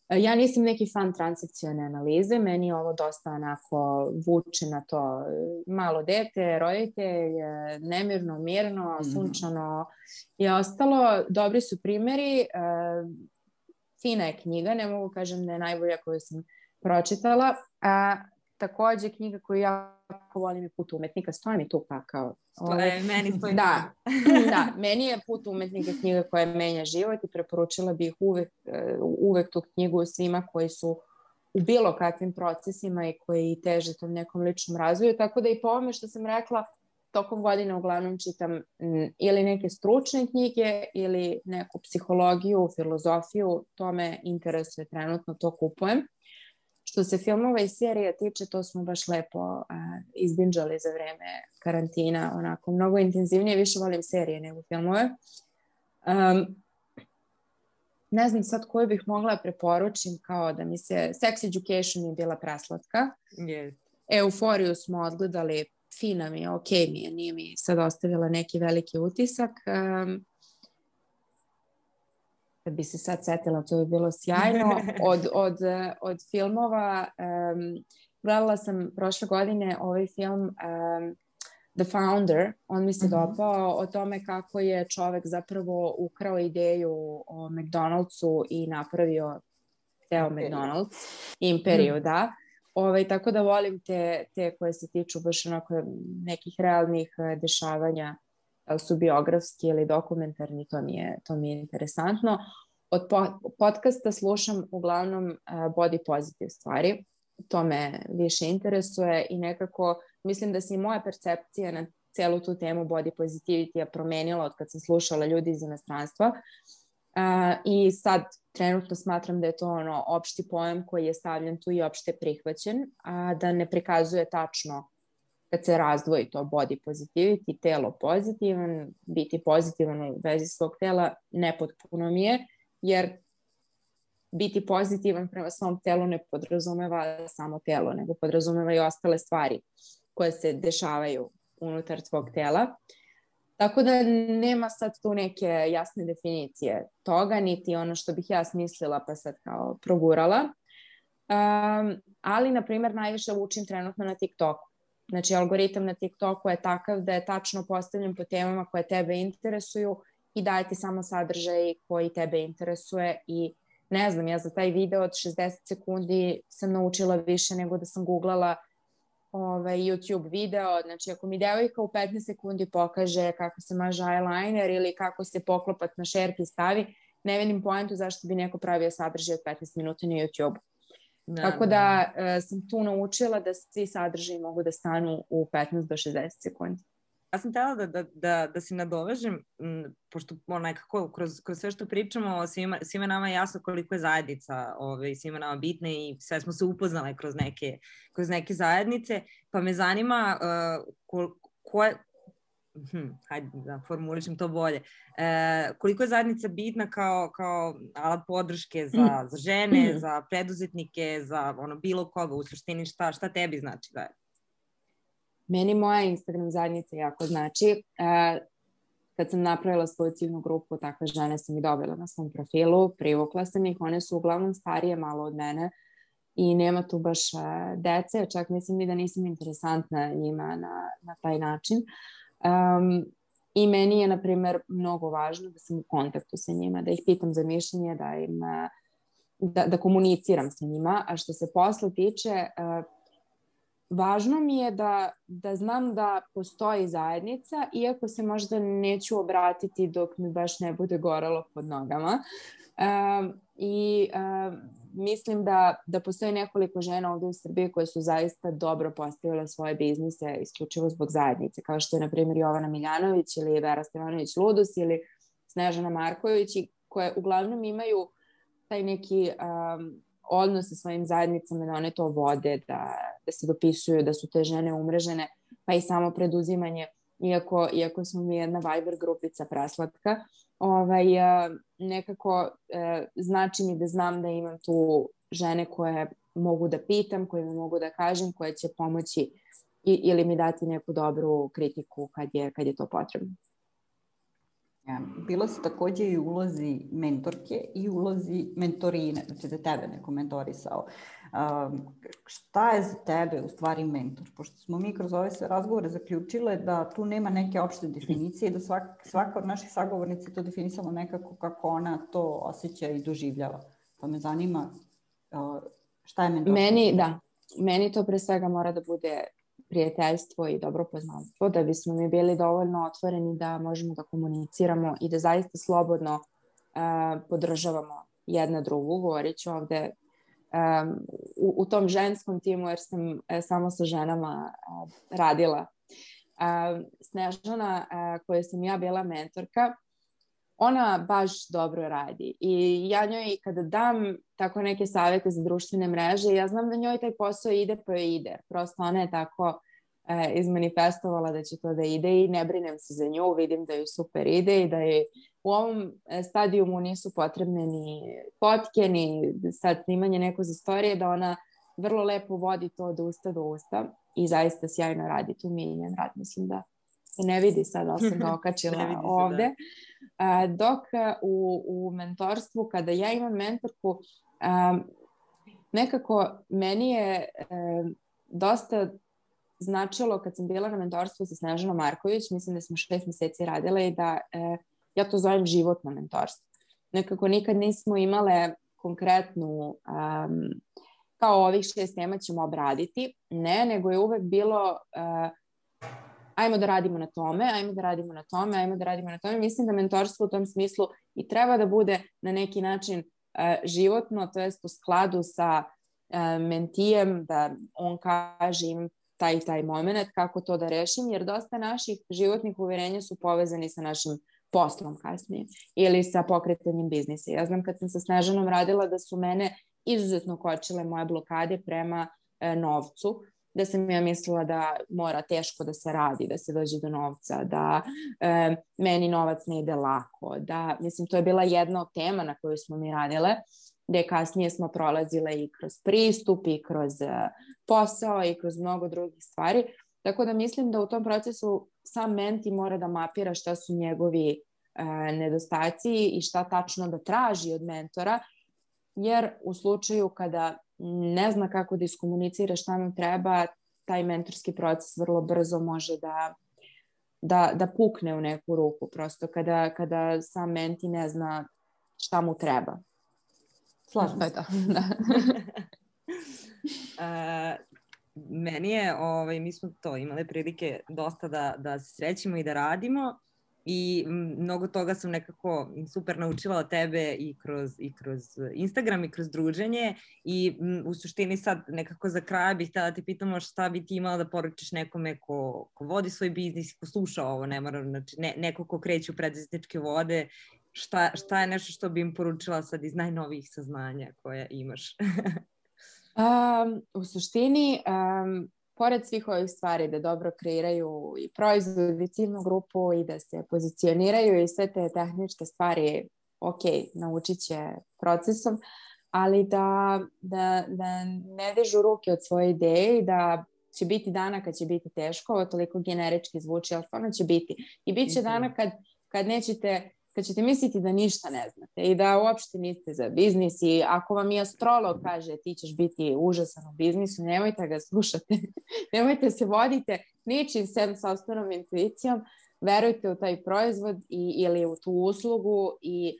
Ja nisam neki fan transakcione analize, meni je ovo dosta onako vuče na to malo dete, roditelj, nemirno, mirno, sunčano i ostalo. Dobri su primjeri, fina je knjiga, ne mogu kažem da je najbolja koju sam pročitala. Takođe, knjiga koju jako volim je Put umetnika, stoji mi tu pa kao... Meni stoji da, meni je Put umetnika knjiga koja menja život i preporučila bih uvek tu knjigu svima koji su u bilo kakvim procesima i koji teže tom nekom ličnom razvoju, tako da i po ovome što sam rekla, tokom godine uglavnom čitam ili neke stručne knjige ili neku psihologiju, filozofiju, to me interesuje trenutno, to kupujem. Što se filmova i serija tiče, to smo baš lepo izbinđali za vreme karantina, onako mnogo intenzivnije, više volim serije nego filmove. ne znam sad koju bih mogla da preporučim, kao da mi se Sex Education je bila preslatka. Yes. Euforiju smo odgledali, fina mi je, ok mi je, nije mi sad ostavila neki veliki utisak. Kad bi se sad setila, to bi bilo sjajno. Od filmova, gledala sam prošle godine ovaj film The Founder, on mi se dopao, o tome kako je čovek zapravo ukrao ideju o McDonald'su i napravio ceo McDonald's, imperiju, da. Tako da volim te koje se tiču baš onako nekih realnih dešavanja, su biografski ili dokumentarni, to mi je interesantno. Od podcasta slušam uglavnom body positive stvari, to me više interesuje i nekako mislim da se i moja percepcija na celu tu temu body positivity promenila od kad sam slušala ljudi iz inostranstva. I sad trenutno smatram da je to opšti pojam koji je stavljen tu i opšte prihvaćen, a da ne prikazuje tačno kad se razdvoji to body positivity, telo pozitivan, biti pozitivan u vezi svog tela nepotpuno mi je, jer biti pozitivan prema svom telu ne podrazumeva samo telo, nego podrazumeva i ostale stvari koje se dešavaju unutar tvog tela. Tako da nema sad tu neke jasne definicije toga, niti ono što bih ja smislila pa sad kao progurala. Ali, na primjer, najviše učim trenutno na TikToku. Znači, algoritam na TikToku je takav da je tačno postavljen po temama koje tebe interesuju i daje ti samo sadržaj koji tebe interesuje i ne znam, ja za taj video od 60 sekundi sam naučila više nego da sam googlala YouTube video. Znači, ako mi devojka u 15 sekundi pokaže kako se maže eyeliner ili kako se poklopat na šerpi stavi, ne vidim poentu zašto bi neko pravio sadržaj od 15 minuta na YouTube. Tako da sam tu naučila da svi sadržaji mogu da stanu u 15 do 60 sekundi. Ja sam htjela da se nadovežem, pošto nekako kroz sve što pričamo, svima nama je jasno koliko je zajednica svima nama bitna i sve smo se upoznale kroz neke zajednice, pa me zanima hajde da formulišem to bolje, koliko je zajednica bitna kao alat podrške za žene, za preduzetnike, za bilo koga, u suštini šta tebi znači zajednica? Meni moja Instagram zajednica jako znači. Kad sam napravila svoju ciljnu grupu, takve žene sam i dobila na svom profilu, privukla sam ih, one su uglavnom starije malo od mene i nema tu baš dece, čak mislim i da nisam interesantna njima na taj način. I meni je, na primjer, mnogo važno da sam u kontaktu sa njima, da ih pitam za mišljenje, da komuniciram sa njima, a što se posla tiče, važno mi je da znam da postoji zajednica, iako se možda neću obratiti dok mi baš ne bude gorelo pod nogama. Mislim da postoji nekoliko žena ovdje u Srbiji koje su zaista dobro postavile svoje biznise isključivo zbog zajednice, kao što je, na primjer, Jovana Miljanović ili Vera Stevanović-Ludus ili Snežana Marković, koje uglavnom imaju taj neki odnos sa svojim zajednicama, da one to vode, da se dopisuju, da su te žene umrežene, pa i samo preduzimanje, iako smo mi jedna Viber grupica preslatka, nekako znači mi da znam da imam tu žene koje mogu da pitam, koje mi mogu da kažem, koje će pomoći ili mi dati neku dobru kritiku kad je to potrebno. Bila si takođe i u ulozi mentorke i u ulozi mentorine, znači da tebe neko mentorisao. Šta je za tebe u stvari mentor? Pošto smo mi kroz ove sve razgovore zaključile da tu nema neke opšte definicije i da svaka od naših sagovornica to definisala nekako kako ona to osjeća i doživljava. Pa me zanima šta je mentorstvo? Meni to pre svega mora da bude prijateljstvo i dobro poznanstvo, da bismo mi bili dovoljno otvoreni da možemo da komuniciramo i da zaista slobodno podržavamo jedna drugu. Govorit ću ovde u tom ženskom timu, jer sam samo sa ženama radila. Snežana, koja sam ja bila mentorka, ona baš dobro radi i ja njoj kada dam tako neke savjete za društvene mreže, ja znam da njoj taj posao ide pa joj ide. Prosto ona je tako izmanifestovala da će to da ide i ne brinem se za nju, vidim da ju super ide i da je u ovom stadijumu nisu potrebne ni fotke, ni sad snimanje neko za storije, da ona vrlo lepo vodi to od usta do usta i zaista sjajno radi. Tu mi je njen rad, mislim da se ne vidi sad, ali sam ga okačila ovde. Dok u mentorstvu, kada ja imam mentorku, nekako meni je dosta značilo kad sam bila na mentorstvu sa Snežanom Marković, mislim da smo 6 meseci radile i da ja to zovem životno mentorstvo. Nekako nikad nismo imale konkretnu, kao ovih 6 tema ćemo obraditi, ne, nego je uvek bilo ajmo da radimo na tome, ajmo da radimo na tome, ajmo da radimo na tome. Mislim da mentorstvo u tom smislu i treba da bude na neki način životno, to jest u skladu sa mentijem, da on kaže im taj moment, kako to da rešim, jer dosta naših životnih uverenja su povezani sa našim poslom kasnije ili sa pokretanjem biznisa. Ja znam kad sam sa Snežanom radila da su mene izuzetno kočile moje blokade prema novcu, da sam ja mislila da mora teško da se radi, da se dođe do novca, da meni novac ne ide lako, da, mislim, to je bila jedna od tema na koju smo mi radile, gde kasnije smo prolazile i kroz pristup, i kroz posao, i kroz mnogo drugih stvari. Tako da mislim da u tom procesu sam menti mora da mapira šta su njegovi nedostaci i šta tačno da traži od mentora, jer u slučaju kada ne zna kako da iskomunicira šta mu treba, taj mentorski proces vrlo brzo može da pukne u neku ruku, prosto kada sam menti ne zna šta mu treba. Slažem se. Meni je, mi smo to imali prilike dosta da se srećimo i da radimo i mnogo toga sam nekako super naučila od tebe i kroz Instagram i kroz druženje i u suštini sad nekako za kraj bih htjela da te pitamo šta bi ti imala da poručiš nekome ko vodi svoj biznis i ko sluša ovo, ne mora, znači neko ko kreće u preduzetničke vode, šta je nešto što bi im poručila sad iz najnovijih saznanja koje imaš? U suštini, pored svih ovih stvari da dobro kreiraju i proizvod i ciljnu grupu i da se pozicioniraju i sve te tehničke stvari, ok, naučit će procesom, ali da ne dižu ruke od svoje ideje i da će biti dana kad će biti teško, ovo toliko generički zvuči, ali stvarno će biti. I bit će dana kad ćete misliti da ništa ne znate i da uopšte niste za biznis i ako vam i astrolog kaže ti ćeš biti užasan u biznisu, nemojte ga slušati, nemojte se vodite ničim sem sopstvenom intuicijom, verujte u taj proizvod ili u tu uslugu i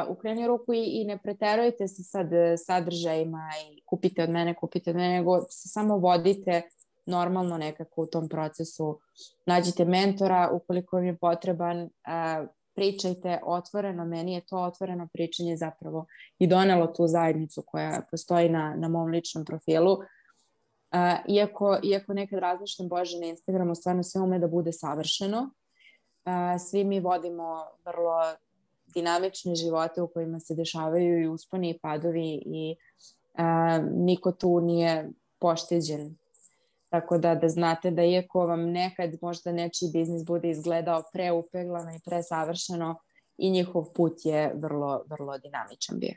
u krajnju ruku i ne preterujte se sad sadržajima i kupite od mene, nego se samo vodite normalno nekako u tom procesu. Nađite mentora ukoliko vam je potreban, pričajte otvoreno, meni je to otvoreno pričanje zapravo i donelo tu zajednicu koja postoji na mom ličnom profilu. Iako nekad razmišljam, Bože, na Instagramu stvarno sve ume da bude savršeno. Svi mi vodimo vrlo dinamične živote u kojima se dešavaju i usponi i padovi i niko tu nije pošteđen. Tako da znate da iako vam nekad možda nečiji biznis bude izgledao preupeglano i presavršeno, i njihov put je vrlo, vrlo dinamičan bio.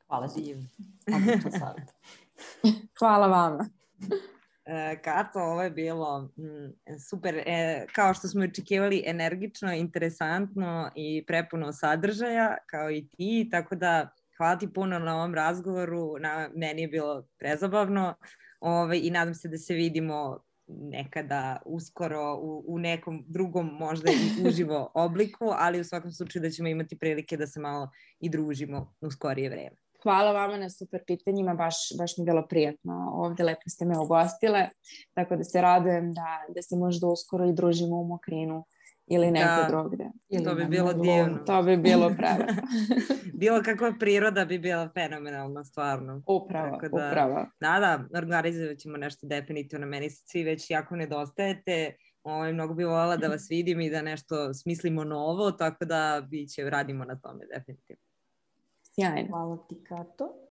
Hvala ti. Hvala vama. Kato, ovo je bilo super, kao što smo očekivali, energično, interesantno i prepuno sadržaja, kao i ti, tako da hvala ti puno na ovom razgovoru, meni je bilo prezabavno i nadam se da se vidimo nekada uskoro u nekom drugom možda i uživo obliku, ali u svakom slučaju da ćemo imati prilike da se malo i družimo u skorije vreme. Hvala vama na super pitanjima, baš mi je bilo prijatno ovde, lepo ste me ugostile, tako da se radujem da se možda uskoro i družimo u Mokrinu ili nekde drugde. To bi bilo divno. To bi bilo prelepo. Bilo kakva priroda bi bila fenomenalna, stvarno. Upravo. Da, organizovat ćemo nešto definitivno. Meni se svi već jako nedostajete. Mnogo bi voljela da vas vidim i da nešto smislimo novo, tako da radimo na tome definitivno. Sjajno. Hvala ti, Kato.